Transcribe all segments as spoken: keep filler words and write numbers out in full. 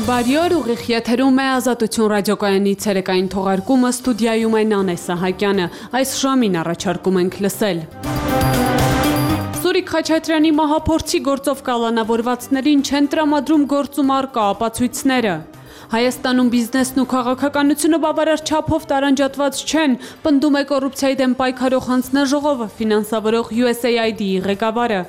Բարի օր, ուղիղ եթերում է Ազատություն ռադիոկայանի ցերեկային թողարկումը, ստուդիայում է Նանե Սահակյանը, այս ժամին առաջարկում ենք լսել։ Սուրիկ Խաչատրյանի մահափորձի գործով կալանավորվածներին չեն տրամադրում գործում առկա ապացույցները։ Հայաստանում բիզնեսն ու քաղաքականությունը բավարար չափով տարանջատված չեն, պնդում է կոռուպցիայի դեմ պայքարող հանձնաժողովը ֆինանսավորող յու էս էյ այ դի-ի ղեկավարը։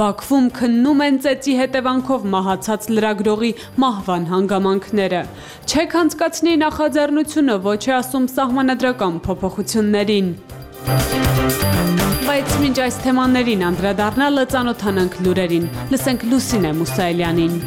Բաքվում քննում են ծեծի հետևանքով մահացած լրագրողի մահվան հանգամանքները։ Չեք անցկացնի նախաձեռնությունը, ոչ է ասում սահմանադրական փոփոխություններին։ Բայց մինչ այս թեմաներին անդրադառնալը ծանոթանանք լուրերին։ Լսենք Լուսինե Մուսայելյանին։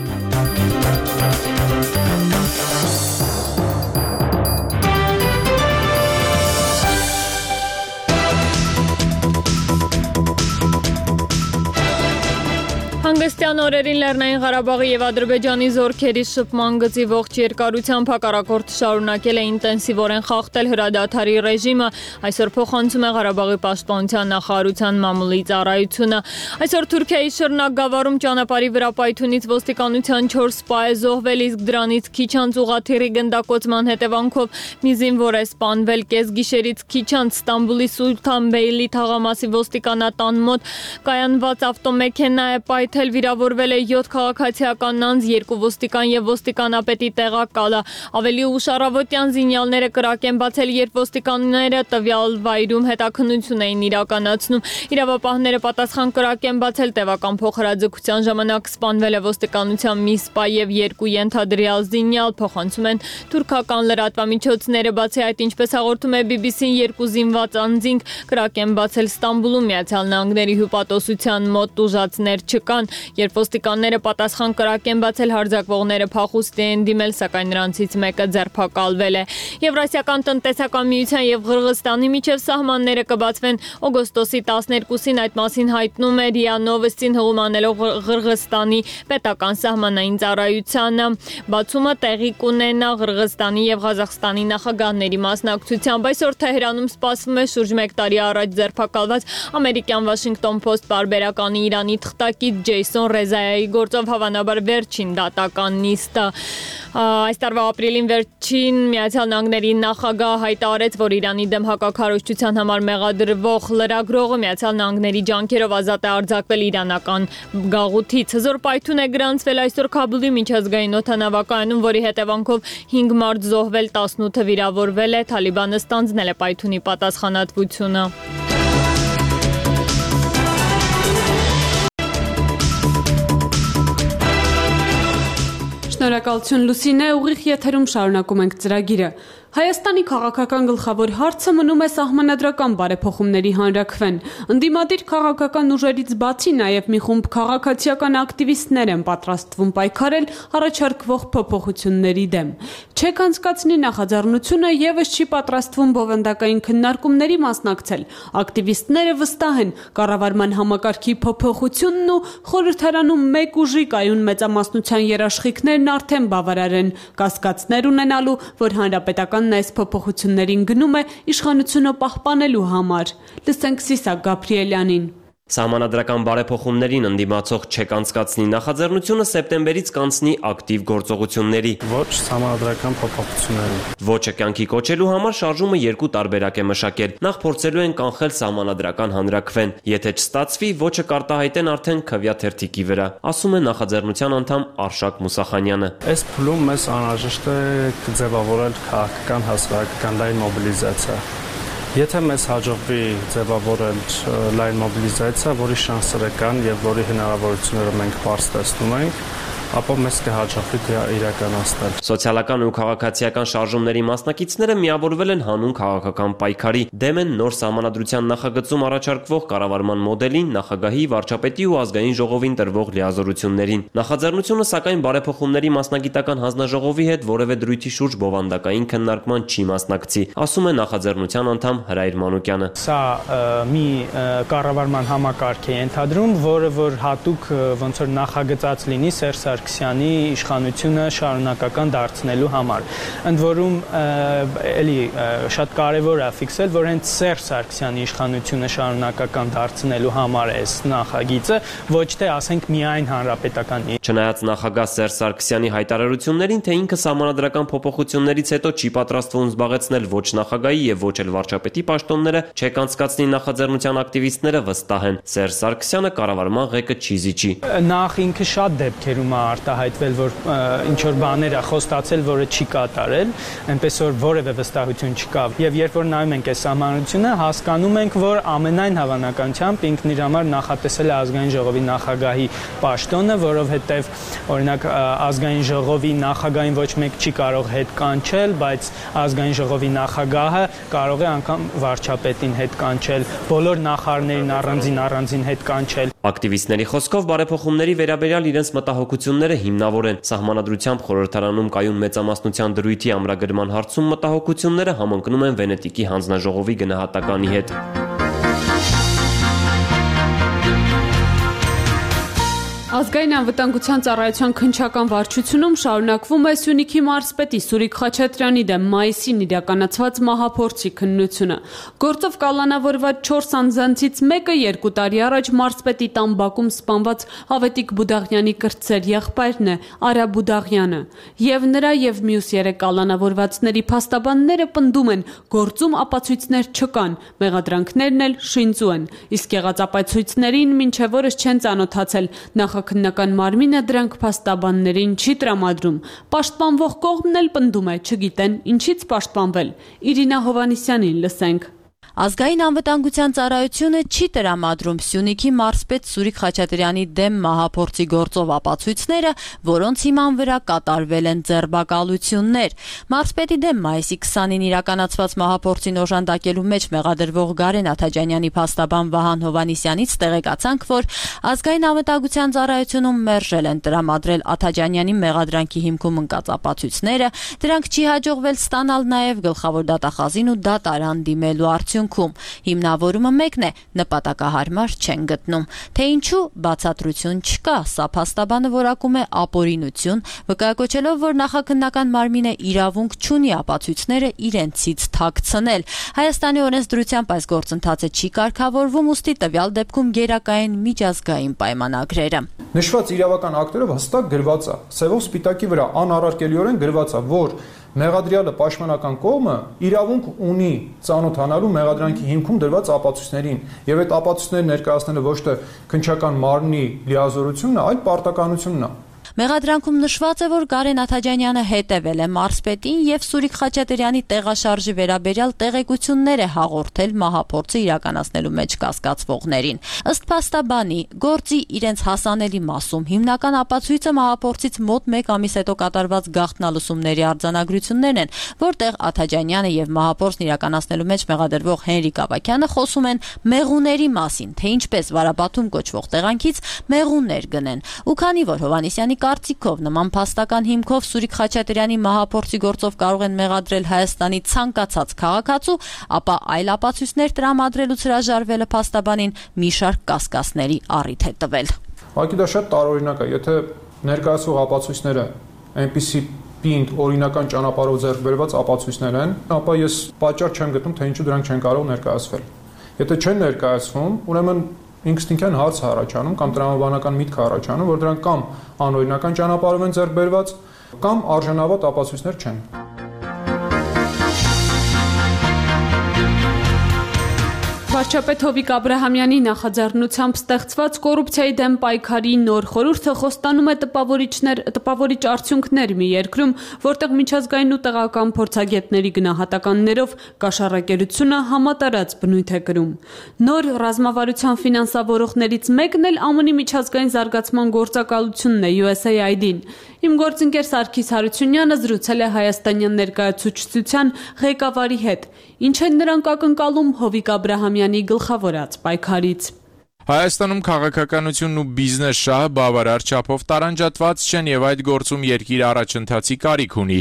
Հանգստյան օրերին Լեռնային Ղարաբաղի եւ Ադրբեջանի զորքերի շփման գծի ողջ երկարությամբ հակառակորդը շարունակել է ինտենսիվորեն խախտել հրադադարի ռեժիմը, այսօր փոխանցում է Ղարաբաղի պաշտպանության նախարարության մամուլի ծառայությունը։ Այսօր Թուրքիայի Շռնակ գավառում ճանապարհի վրա պայթյունից ոստիկանության չորս սպա է զոհվել, իսկ դրանից քիչ անց ուղղաթիռի գնդակոծման հետևանքով մի զինվոր է սպանվել։ Կեսգիշերից քիչ անց Ստամբուլի Սուլթանբեյլի թաղամասի ոստիկանատան մոտ կայանված ավտոմեքենա է պայթել, վիրավորվել է յոթ քաղաքացիական անձ, երկու ոստիկան եւ ոստիկանապետի տեղակալը։ Ավելի ուշ առավոտյան զինյալները կրակ են բացել, երբ ոստիկանները տվյալ վայրում հետաքննություն էին իրականացնում։ Իրավապահները պատասխան կրակ են բացել, տևական փոխհրաձգության ժամանակ սպանվել է ոստիկանության մի սպա եւ երկու ենթադրյալ զինյալ, փոխանցում են թուրքական լրատվամիջոցները։ Բացի այդ, ինչպես հաղորդում է բի բի սին, երկու զինված անձինք կրակ են բացել Ստամբուլում, Միացյալ Նահանգների հյուպատոսության մոտ ուժածներ չկան։ Երբ ոստիկանները պատասխան կրակ են բացել, հարձակվողները փախուստի են դիմել, սակայն նրանցից մեկը ձերբակալվել է։ Եվրասիական տնտեսական միության եւ Ղրղստանի միջև սահմանները կբացվեն օգոստոսի տասներկուսին, այդ մասին հայտնում է րիա Նովոստին հղում անելով Ղրղստանի պետական սահմանային ծառայությանը։ Բացումը տեղի կունենա Ղրղստանի եւ Ղազախստանի նախագահների մասնակցությամբ։ Այսօր Թեհրանում սպասվում է շուրջ մեկ տարի առաջ ձերբակալված ամերիկյան Washington Post պարբերականի Իրանի թղթակից Ջեյսոն Ռեզայայի գործով հավանաբար վերջին դատական նիստը։ Այս տարվա ապրիլին վերջին Միացյալ Նահանգների նախագահ հայտարարեց, որ Իրանի դեմ հակաքարոզչության համար մեղադրվող լրագրողը Միացյալ Նահանգների ջանքերով ազատ է արձակվել իրանական գաղութից։ Հզոր պայթյուն է գրանցվել այսօր Քաբուլի միջազգային օդանավակայանում, որի հետևանքով հինգ մարդ զոհվել, տասնութը վիրավորվել է։ Թալիբանը ստանձնել է պայթյունի պատասխանատվությունը։ Շնորհակալություն Լուսինե, ուղիղ եթերում շարունակում ենք ծրագիրը։ Հայաստանի քաղաքական գլխավոր հարցը մնում է սահմանադրական բարեփոխումների հանրաքվեն։ Ընդդիմադիր քաղաքական ուժերից բացի նաև մի խումբ քաղաքացիական ակտիվիստներ են պատրաստվում պայքարել առաջարկվող փոփոխությունների դեմ։ Չեք անցկացնի նախաձեռնությունը եւս չի պատրաստվում բովանդակային քննարկումների մասնակցել։ Ակտիվիստները վստահ են, կառավարման համակարգի փոփոխությունն ու խորհրդարանում մեկ ուժի կայուն մեծամասնության երաշխիքներն արդեն բավարար են կասկածներ ունենալու, որ հանրապետական այս փոփոխություններին գնում է իշխանությունը պահպանելու համար։ Լսենք Սիսակ Գաբրիելյանին։ Սահմանադրական բարեփոխումներին ընդդիմացող չեք անցկացնի նախաձեռնությունը սեպտեմբերից կանցնի ակտիվ գործողությունների։ Ոչ սահմանադրական փոփոխությունների։ Ոչը կյանքի կոչելու համար շարժումը երկու տարբերակ է մշակել։ Նախ փորձելու են կանխել սահմանադրական հանրաքվեն։ Եթե չստացվի, ոչը կարտահայտեն արդեն քվյա թերթիկի վրա, ասում է նախաձեռնության անդամ Արշակ Մուսախանյանը։ Այս փուլում մեզ անհրաժեշտ է ձևավորել քաղաքական հասարակական լայն մոբիլիզացիա։ Եթե մեզ հաջողվի ձևավորել լայն մոբիլիզացիա, որի շանսերը կան եւ որի հնարավորությունները մենք բարձ տեսնում ենք, ապա մեզ կհաջողվի իրականացնել։ Սոցիալական ու քաղաքացիական շարժումների մասնակիցները միավորվել են հանուն քաղաքական պայքարի, դեմ են նոր սահմանադրության նախագծում առաջարկվող կառավարման մոդելին, նախագահի, վարչապետի ու ազգային ժողովին տրվող լիազորություններին։ Նախաձեռնությունը սակայն բարեփոխումների մասնագիտական հանձնաժողովի հետ որևէ դրույթի շուրջ բովանդակային քննարկման չի մասնակցի, ասում է նախաձեռնության անդամ Հրայր Մանուկյանը։ Սա մի կառավարման համակարգ է ենթադրում, որը որ հատուկ ոնց որ նախագծած լինի Սերժ Սարգսյանի իշխանությունը շարունակական դարձնելու համար։ Ընդ որում էլի շատ կարևոր է ֆիքսել, որ հենց Սերժ Սարգսյանի իշխանությունը շարունակական դարձնելու համար է այս նախագիծը, ոչ թե ասենք միայն հանրապետականի։ Չնայած նախագահ Սերժ Սարգսյանի հայտարարություններին, թե ինքը սահմանադրական փոփոխություններից հետո չի պատրաստվում զբաղեցնել ոչ նախագահի եւ ոչ էլ վարչապետի պաշտոնները, չեք անցկացնի նախաձեռնության ակտիվիստները վստահ են։ Սերժ Սարգսյանը կառավարման ղեկը չի զիջի։ Նախ ինքը շատ դեպքերում է արտահայտվել, որ ինչ որ բաներ է խոստացել, որը չի կատարել, այնպես որ որևէ վստահություն չկա։ Եվ երբ որ նայում ենք այս սահմանությունը, հասկանում ենք, որ ամենայն հավանականությամբ ինքն իր համար նախատեսել է ազգային ժողովի նախագահի պաշտոնը, որովհետև օրինակ ազգային ժողովի նախագահին ոչ մեկ չի կարող հետ կանչել, բայց ազգային ժողովի նախագահը կարող է անգամ վարչապետին հետ կանչել, բոլոր նախարարներին առանձին առանձին հետ կանչել։ Ակտիվիստների խոսքով բարեփոխումների վերաբերյալ իրենց մտահոգությունները հիմնավոր են։ Սահմանադրությամբ խորհրդարանում կայուն մեծամասնության դրույթի ամրագրման հարցում մտահոգությունները համընկնում են Վենետիկի հանձնաժողովի գնահատականի հետ։ Ազգային անվտանգության ծառայության քննչական վարչությունում շարունակվում է Սյունիքի մարզպետի Սուրիկ Խաչատրյանի դեմ մայիսին իրականացված մահափորձի քննությունը։ Գործով կալանավորված չորս անձանցից մեկը երկու տարի առաջ մարզպետի տան բակում սպանված Հավետիք Բուդաղյանի կրտսեր եղբայրն է Արա Բուդաղյանը։ Եվ նրա եւ մյուս երեք կալանավորվածների փաստաբանները պնդում են, գործում ապացույցներ չկան, մեղադրանքներն էլ շինծու են։ Իսկ եղած ապացույցներին մինչև օրս չեն ծանոթացել նախ Քննական մարմինը դրանք փաստաբաններին չի տրամադրում։ Պաշտպանվող կողմն էլ պնդում է, չգիտեն ինչից պաշտպանվել։ Իրինա Հովանիսյանին լսենք։ Ազգային անվտանգության ծառայությունը չի տրամադրում Սյունիքի մարզպետ Սուրիկ Խաչատրյանի դեմ մահափորձի գործով ապացույցները, որոնց հիման վրա կատարվել են ձերբակալություններ։ Մարզպետի դեմ մայիսի քսանին իրականացված մահափորձին օժանդակելու մեջ մեղադրվող Գարեն Աթաջանյանի փաստաբան Վահան Հովանիսյանից տեղեկացանք, որ ազգային անվտանգության ծառայությունում մերժել են տրամադրել Աթաջանյանի մեղադրանքի հիմքում ընկած ապացույցները, դրանք չի հաջողվել ստանալ նաև գլխավոր դատախազին ու դատարան դիմելու արդյունքում։ Հիմնավորումը մեկն է, նպատակահարմար չեն գտնում։ Թե ինչու բացատրություն չկա, սա փաստաբանը որակում է ապօրինություն, վկայակոչելով, որ նախաքննական մարմինը իրավունք չունի ապացույցները իրենցից թաքցնել։ Հայաստանի օրենսդրությամբ այս գործընթացը չի կարգավորվում, ուստի տվյալ դեպքում գերակային միջազգային պայմանագրերը։ Նշված իրավական ակտերով հստակ գրված է, սևով սպիտակի վրա անառարկելիորեն գրված է, որ մեղադրյալը պաշտպանական կողմը իրավունք ունի ծանոթանալու մեղադրանքի հիմքում դրված ապացույցներին, եւ այդ ապացույցները ներկայացնելը ոչ թե քննչական մարմնի լիազորությունն է, այլ պարտականությունն է։ Մեղադրանքում նշված է, որ Գարեն Աթաջանյանը հետևել է մարզպետին եւ Սուրիկ Խաչատրյանի տեղաշարժի վերաբերյալ տեղեկություններ է հաղորդել մահափորձը իրականացնելու մեջ կասկածվողներին։ Ըստ փաստաբանի, գործի իրենց հասանելի մասում հիմնական ապացույցը մահափորձից մոտ մեկ ամիս հետո կատարված գաղտնալսումների արձանագրություններն են, որտեղ Աթաջանյանը եւ մահափորձն իրականացնելու մեջ մեղադրվող Հենրիկ Ավագյանը խոսում են մեղուների մասին, թե ինչպես Վարապատում կոչվող տեղանքից մեղուներ գնեն։ Ու քանի որ Հովանիսյանի կարծիքով նման փաստական հիմքով Սուրիկ Խաչատրյանի մահափորձի գործով կարող են մեղադրել Հայաստանի ցանկացած քաղաքացու, ապա այլ ապացույցներ տրամադրելուց հրաժարվելը փաստաբանին մի շարք կասկածների առիթ է տվել։ Ուղղակի դա շատ տարօրինակ է, եթե ներկայացվող ապացույցները այնպիսի պինդ օրինական ճանապարհով ձեռք բերված ապացույցներ են, ապա ես պատճառ չեմ գտնում, թե ինչու դրանք չեն կարող ներկայացվել։ Եթե չեն ներկայացվում, ուրեմն ինքնին հարց առաջանում կամ տրամաբանական միտք առաջանում, որ դրանք կամ անօրինական ճանապարհով են ձեռք բերված, կամ արժանավատ ապացույցներ չեն։ Վարչապետ Հովիկ Աբրահամյանի նախաձեռնությամբ ստեղծված կոռուպցիայի դեմ պայքարի նոր խորհուրդը խոստանում է տպավորիչներ, տպավորիչ արդյունքներ մի երկրում, որտեղ միջազգային ու տեղական փորձագետների գնահատականներով կաշառակերությունը համատարած բնույթ է կրում։ Նոր ռազմավարության ֆինանսավորողներից մեկն էլ ԱՄՆ-ի միջազգային զարգացման գործակալությունն է յու էս էյ այ դին։ Իմ գործընկեր Սարգիս Հարությունյանը զրուցել է հայաստանյան ներկայացուցչության ղեկավարի հետ։ Ինչ են նրանք ակնկալում Հովիկ Աբրահամյանի գլխավորած պայքարից։ Հայաստանում քաղաքականությունն ու բիզնես շահը բավարար չափով տարանջատված չեն եւ այդ գործում երկիրը առաջընթացի կարիք ունի։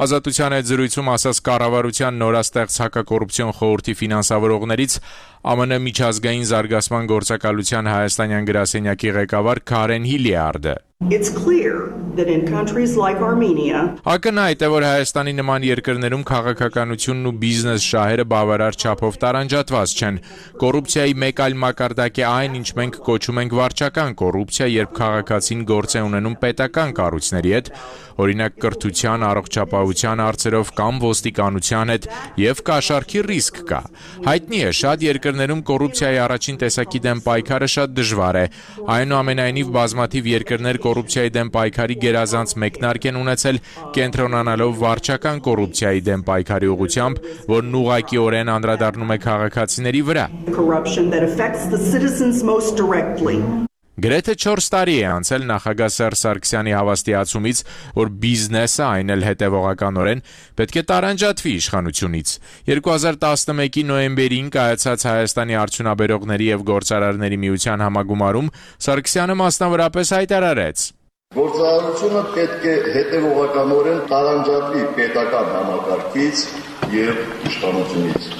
Ազատության այդ զրույցում ասաց կառավարության նորաստեղծ հակակոռուպցիոն խորհրդի ֆինանսավորողներից ԱՄՆ միջազգային զարգացման գործակալության հայաստանյան գրասենյակի ղեկավար Քարեն Հիլիարդը։ It's clear that in countries like Armenia Ակնհայտ է, որ Հայաստանի նման երկրներում քաղաքականությունն ու բիզնես շահերը բավարար չափով տարանջատված չեն։ Կոռուպցիայի մեկ այլ մակարդակ է այն, ինչ մենք կոչում ենք վարչական կոռուպցիա, երբ քաղաքացին գործ է ունենում պետական կառույցների հետ, օրինակ կրթության, առողջապահության հարցերով կամ ոստիկանության հետ, եւ կաշառքի ռիսկ կա։ Հայտնի է, շատ երկրներում կոռուպցիայի առաջին տեսակի դեմ պայքարը շատ դժվար է։ Այնուամենայնիվ բազմաթիվ երկրներ կոռուպցիայի դեմ պայքարի գերազանց մեկնարկ են ունեցել, կենտրոնանալով վարչական կոռուպցիայի դեմ պայքարի ուղղությամբ, որն ուղղակիորեն անդրադառնում է քաղաքացիների վրա։ Գրեթե չորս տարի է անցել նախագահ Սերժ Սարգսյանի հավաստիացումից, որ բիզնեսը, այն էլ հետևողականորեն, պետք է տարանջատվի իշխանությունից։ երկու հազար տասնմեկի նոյեմբերին կայացած Հայաստանի արդյունաբերողների եւ գործարարների միության համագումարում Սարգսյանը մասնավորապես հայտարարեց. Գործարարությունը պետք է հետևողականորեն տարանջատվի պետական համակարգից եւ իշխանությունից։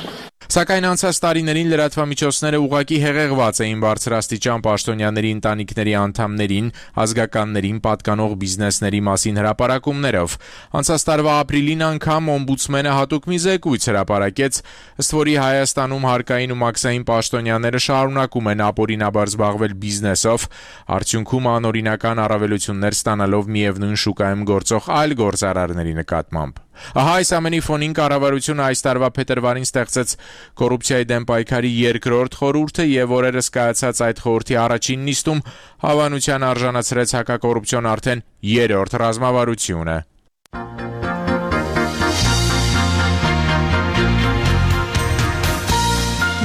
Սակայն անցած տարիներին լրատվամիջոցները ուղղակի հեղեղված էին բարձրաստիճան պաշտոնյաների ընտանիքների անդամներին, ազգականներին պատկանող բիզնեսների մասին հրապարակումներով։ Անցած տարվա ապրիլին անգամ օմբուդսմենը հատուկ մի զեկույց հրապարակեց, ըստ որի Հայաստանում հարկային ու մաքսային պաշտոնյաները շարունակում են ապօրինաբար զբաղվել բիզնեսով, արդյունքում անօրինական առավելություններ ստանալով միևնույն շուկայում գործող այլ գործարարների նկատմամբ։ Ահա այս ամենի ֆոնին կառավարությունը այս տարվա փետրվարին ստեղծեց կոռուպցիայի դեմ պայքարի երկրորդ խորհուրդը եւ օրերս կայացած այդ խորհրդի առաջին նիստում հավանության արժանացրեց հակակոռուպցիոն արդեն երրորդ ռազմավարությունը։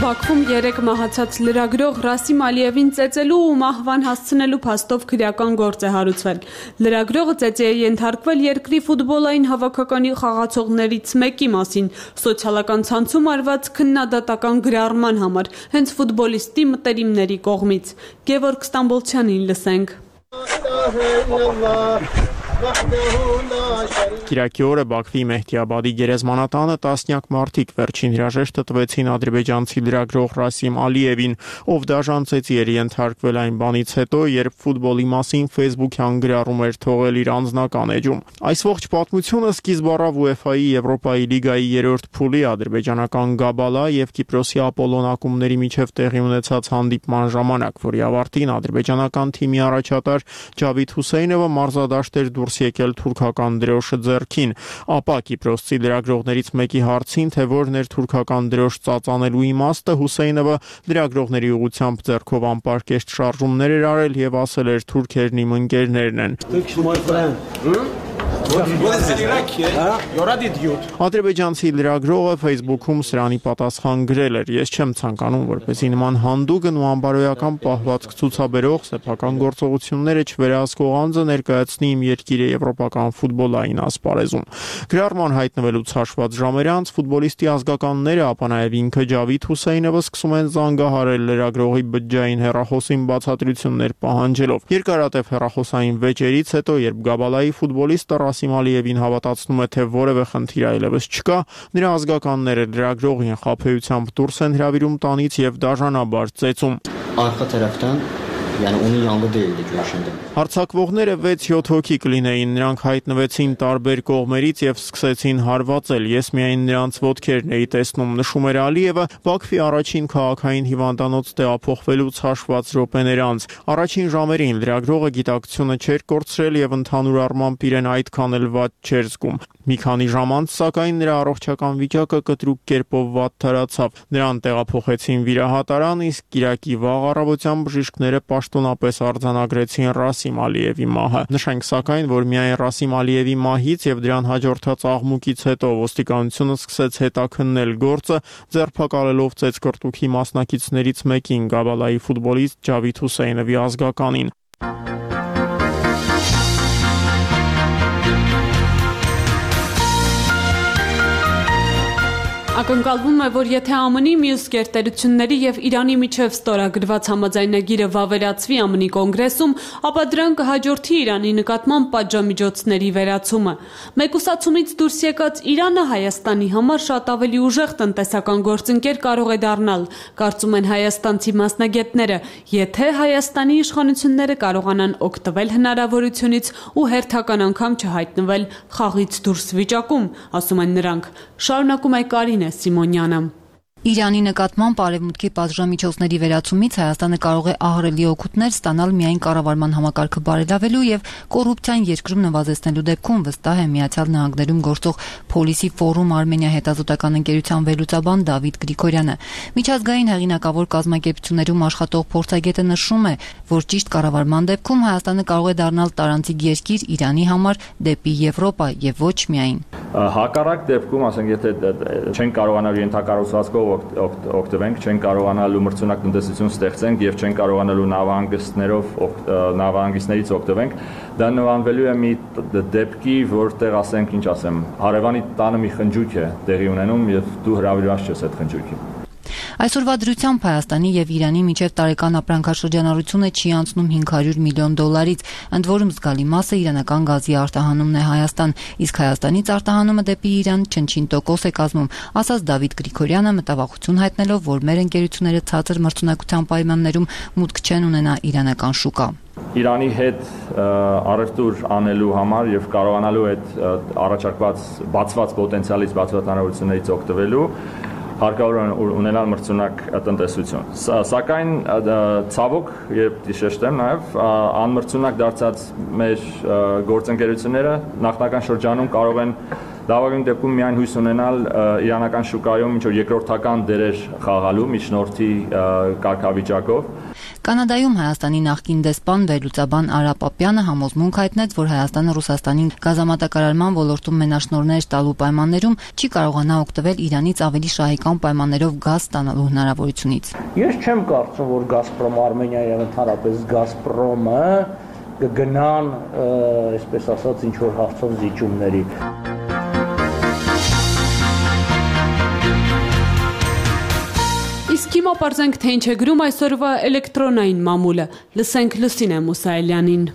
Բաքվում երեկ մահացած լրագրող Ռասիմ Ալիևին ծեծելու ու մահվան հասցնելու փաստով քրեական գործ է հարուցվել։ Լրագրողը ծեծի է ենթարկվել երկրի ֆուտբոլային հավաքականի խաղացողներից մեկի մասին սոցիալական ցանցում արված քննադատական գրառման համար, հենց ֆուտբոլիստի մտերիմների կողմից։ Գևորգ Ստամբոլցյանին լսենք։ Կիրակի օրը Բաքվի Մեհդիաբադի գերեզմանատանը տասնյակ մարդիկ վերջին հրաժեշտը տվեցին ադրբեջանցի լրագրող Ռասիմ Ալիևին, ով դաժանցեցի էր ենթարկվել այն բանից հետո, երբ ֆուտբոլի մասին Facebook-յան գրառում էր թողել իր անձնական էջում։ Այս ողջ պատմությունը սկիզբ առավ ՈՒԵՖԱ-ի Եվրոպայի լիգայի երրորդ փուլի ադրբեջանական Գաբալա եւ Կիպրոսի Ապոլոն ակումբների միջև տեղի ունեցած հանդիպման ժամանակ, որի ավարտին ադրբեջանական թիմի առաջատար Ջավիդ Հուսեյնովը մարզադաշտ էր դուրս եկել թուրքական դրոշը ձեռքին, ապա կիպրոսցի լրագրողներից մեկի հարցին, թե որն էր թուրքական դրոշ ծածանելու իմաստը, Հուսեյնովը լրագրողների ուղղությամբ ձեռքով անպարկեշտ շարժումներ էր արել եւ ասել էր թուրքերն իմ ընկերներն են։ Ադրբեջանցի լրագրողը Facebook-ում սրանի պատասխան գրել էր. Ես չեմ ցանկանում, որպեսզի նման հանդուգն ու անբարոյական պահվածք ցուցաբերող սեփական գործողությունները չվերահսկող անձը ներկայացնի իմ երկիրը եվրոպական ֆուտբոլային ասպարեզում։ Գրառման հայտնվելուց հաշված ժամեր անց ֆուտբոլիստի ազգականները, ապա նաև ինքը Ջավիդ Հուսեյնովը սկսում են զանգահարել լրագրողի բջջային հեռախոսին բացատրություններ պահանջելով։ Երկարատև հեռախոսային վեճերից հետո, երբ Գաբալայի ֆուտբոլիստը Ռասիմ Ալիևին հավատացնում է, թե որևէ խնդիր այլևս չկա, նրա ազգականները լրագրողին խաբեությամբ դուրս են հրավիրում տանից եւ դաժանաբար ծեծում։ Հարձակվողները վեց-յոթ հոգի կլինեին, նրանք հայտնվեցին տարբեր կողմերից եւ սկսեցին հարվածել։ Ես միայն նրանց ոտքերն էի տեսնում, նշում էր Ալիևը Բաքվի առաջին քաղաքային հիվանդանոց տեղափոխվելուց հաշված րոպեներ անց։ Առաջին ժամերին լրագրողը գիտակցությունը չէր կորցրել եւ ընդհանուր առմամբ իրեն այդքան էլ վատ չէր զգում։ Մի քանի ժամ անց, սակայն, նրա առողջական վիճակը կտրուկ կերպով վատթարացավ։ Նրան տեղափոխեցին վիրահատարան, իսկ կիրակի վաղ առավոտյան բժիշկները պաշտոնապես արձանագրեցին Ռասիմ Ալիևի մահը։ Նշենք սակայն, որ միայն Ռասիմ Ալիևի մահից եւ դրան հաջորդած աղմուկից հետո ոստիկանությունը սկսեց հետաքննել գործը, ձերբակալելով ծեծկռտուքի մասնակիցներից մեկին, Գաբալայի ֆուտբոլիստ Ջավիդ Հուսեյնովի ազգականին։ Ակնկալվում է, որ եթե ԱՄՆ-ի մյուս գերտերությունների եւ Իրանի միջև ստորագրված համաձայնագիրը վավերացվի ԱՄՆ-ի կոնգրեսում, ապա դրան կհաջորդի Իրանի նկատմամբ պատժամիջոցների վերացումը։ Մեկուսացումից դուրս եկած Իրանը Հայաստանի համար շատ ավելի ուժեղ տնտեսական գործընկեր կարող է դառնալ, կարծում են հայաստանցի մասնագետները, եթե Հայաստանի իշխանությունները կարողանան օգտվել հնարավորությունից ու հերթական անգամ չհայտնվել խաղից դուրս վիճակում, ասում են նրանք։ Շարունակում է Կարինե Սիմոնյանը։ Իրանի նկատմամբ արևմուտքի պատժամիջոցների վերացումից Հայաստանը կարող է ահռելի օգուտներ ստանալ միայն կառավարման համակարգը բարելավելու եւ կոռուպցիան երկրում նվազեցնելու դեպքում, վստահ է Միացյալ Նահանգներում գործող Policy Forum Armenia հետազոտական ընկերության վերլուծաբան Դավիթ Գրիգորյանը։ Միջազգային հեղինակավոր կազմակերպություններում աշխատող փորձագետը նշում է, որ ճիշտ կառավարման դեպքում Հայաստանը կարող է դառնալ տարանցիկ երկիր Իրանի համար դեպի Եվրոպա եւ ոչ միայն։ Հակառակ դեպքում, ասենք, եթե չեն կարողանալ ենթակառուցվածքով օգտվենք, չեն կարողանալու մրցունակ տնտեսություն ստեղծենք եւ չեն կարողանալու նավահանգիստներով նավահանգիստներից օգտվենք, դա նմանվելու է մի դեպքի, որտեղ, ասենք, ինչ ասեմ, հարևանի տանը մի խնջույք է տեղի ունենում եւ դու հրավիրված ես այդ խնջույքին։ Այսօրվա դրությամբ Հայաստանի եւ Իրանի միջև տարեկան ապրանքաշրջանառությունը չի անցնում հինգ հարյուր միլիոն դոլարից, ընդ որում զգալի մասը իրանական գազի արտահանումն է Հայաստան, իսկ Հայաստանից արտահանումը դեպի Իրան չնչին տոկոս է կազմում, ասաց Դավիթ Գրիգորյանը, մտավախություն հայտնելով, որ մեր ընկերությունները ցածր մրցունակության պայմաններում մուտք չեն ունենա իրանական շուկա։ Իրանի հետ առևտուր անելու համար եւ կարողանալու այդ առաջարկված բացված պոտենցիալից, բացված հնարավորություններից օգտվելու հարկավոր ունենալ մրցունակ տնտեսություն։ Սակայն ցավոք, երբ դիշեշտեմ նաև անմրցունակ դարձած մեր գործընկերությունները նախնական շրջանում կարող են լավագույն դեպքում միայն հույս ունենալ իրանական շուկայում ինչ-որ երկրորդական դերեր խաղալու միջնորդի կարգավիճակով։ Կանադայում Հայաստանի նախկին դեսպան վերլուծաբան Արա Պապյանը համոզմունք հայտնեց, որ Հայաստանը Ռուսաստանին գազամատակարարման ոլորտում մենաշնորհներ տալու պայմաններում չի կարողանա օգտվել Իրանից ավելի շահեկան պայմաններով գազ ստանալու հնարավորությունից։ Ես չեմ կարծում, որ Գազպրոմ Արմենիա եւ ընդհանրապես Գազպրոմը կգնան, այսպես ասած, ինչ որ հարցով զիջումների։ Իսկ հիմա պարզենք, թե ինչ է գրում այսօրվա էլեկտրոնային մամուլը։ Լսենք Լուսինե Մուսայելյանին։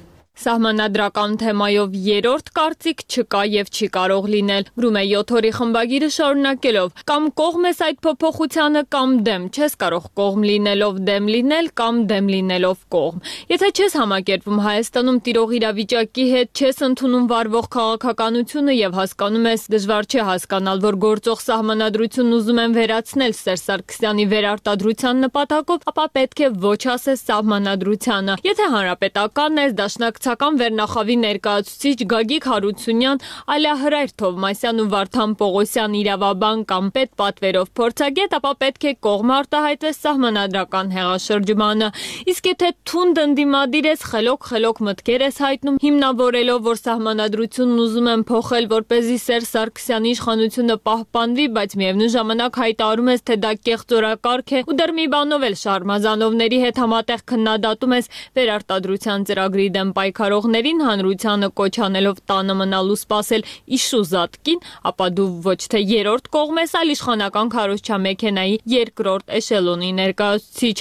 Սահմանադրական թեմայով երրորդ կարծիք չկա եւ չի կարող լինել, գրում է յոթ օրի խմբագիրը շարունակելով. կամ կողմ ես այդ փոփոխությանը, կամ դեմ, չես կարող կողմ լինելով դեմ լինել, կամ դեմ լինելով կողմ։ Եթե չես համակերպվում Հայաստանում տիրող իրավիճակի հետ, չես ընդունում վարվող քաղաքականությունը եւ հասկանում ես, դժվար չէ հասկանալ, որ գործող սահմանադրությունն ուզում են վերացնել Սերժ Սարգսյանի վերարտադրության նպատակով, ապա պետք է ոչ ասես սահմանադրությանը։ Եթե հանրապետական ես, դաշնակ Ցական վերնախավի ներկայացուցիչ Գագիկ Հարությունյան, Ալիահրայր Թովմասյան ու Վարդան Պողոսյան իրավաբան կամ պետ պատվերով փորձագետ, ապա պետք է կողմ արտահայտվես սահմանադրական հեղաշրջմանը։ Իսկ եթե թունդ ընդդիմադիր ես, խելոք-խելոք մտքեր ես հայտնում, հիմնավորելով, որ սահմանադրությունն ուզում են փոխել, որպեսզի Սերժ Սարգսյանի իշխանությունը պահպանվի, բայց միևնույն ժամանակ հայտարարում ես, թե դա կեղծորակարգ է ու դեռ մի բանով էլ Շարմազանովների հետ համատեղ քննադատում ես վերարտադրության ծրագրի դեմ պայքարողներին, հանրությանը կոչ անելով տանը մնալու սպասել իշուզատկին, ապա դու ոչ թե երրորդ կողմ ես, այլ իշխանական քարոզչամեքենայի երկրորդ էշելոնի ներկայացուցիչ։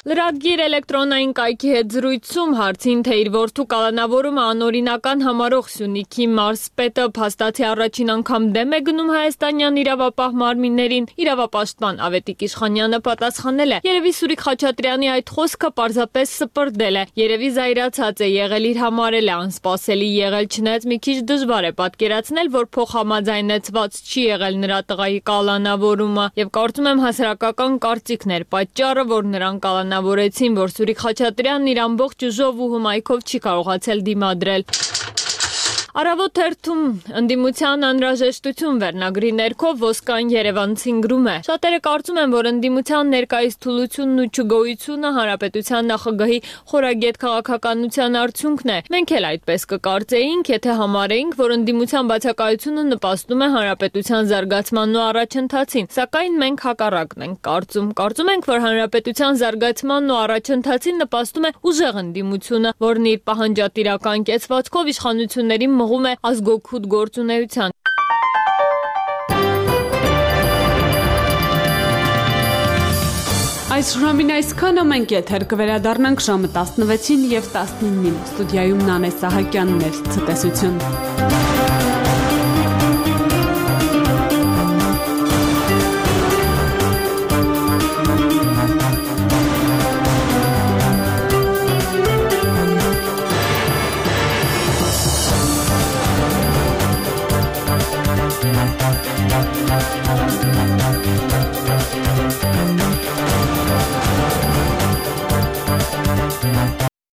Լրատվագիր էլեկտրոնային կայքի հետ զրույցում հարցին, թե իր որդու կալանավորումը անօրինական համարող Սյունիքի մարզպետը փաստացի առաջին անգամ դեմ է գնում հայաստանյան իրավապահ մարմիններին, իրավապաշտպան Ավետիք Իշխանյանը պատասխանել է. երևի Սուրիկ Խաչատրյանի այդ խոսքը պարզապես սպրդել է, երևի զայրացած է եղել, իր համար էլ է անսպասելի եղել, չնայած մի քիչ դժվար է պատկերացնել, որ փոխհամաձայնեցված չի եղել նրա տղայի կալանավորումը, եւ կարծում եմ հասարակական կարծիքն էր պատճառը, որ նրան կալանավորել Նավորեցին, որ Սուրիկ Խաչատրյանն իր ամբողջ ուժով ու հմայքով չի կարողացել դիմադրել։ Առավոտ թերթում ընդդիմության անհրաժեշտություն վերնագրի ներքո Ոսկան Երևանցին գրում է. շատերը կարծում են, որ ընդդիմության ներկայիս թուլությունն ու չգոյությունը հանրապետության նախագահի խորագետ քաղաքականության արդյունքն է։ Մենք էլ այդպես կկարծեինք, եթե համարեինք, որ ընդդիմության բացակայությունը նպաստում է հանրապետության զարգացմանն ու առաջընթացին, սակայն մենք հակառակն ենք կարծում։ Կարծում ենք, որ հանրապետության զարգացմանն ու առաջընթացին նպաստում է ուժեղ ընդդիմությունը, որն իր պահանջատիրական կեցվածքով իշխանությունների մղում է ազգօգուտ գործունեության։ Այս ժամին այսքանը մենք եթեր կվերադառնանք ժամը տասնվեցին եւ տասնինին։ Ստուդիայում Նանե Սահակյանն էր, ցտեսություն։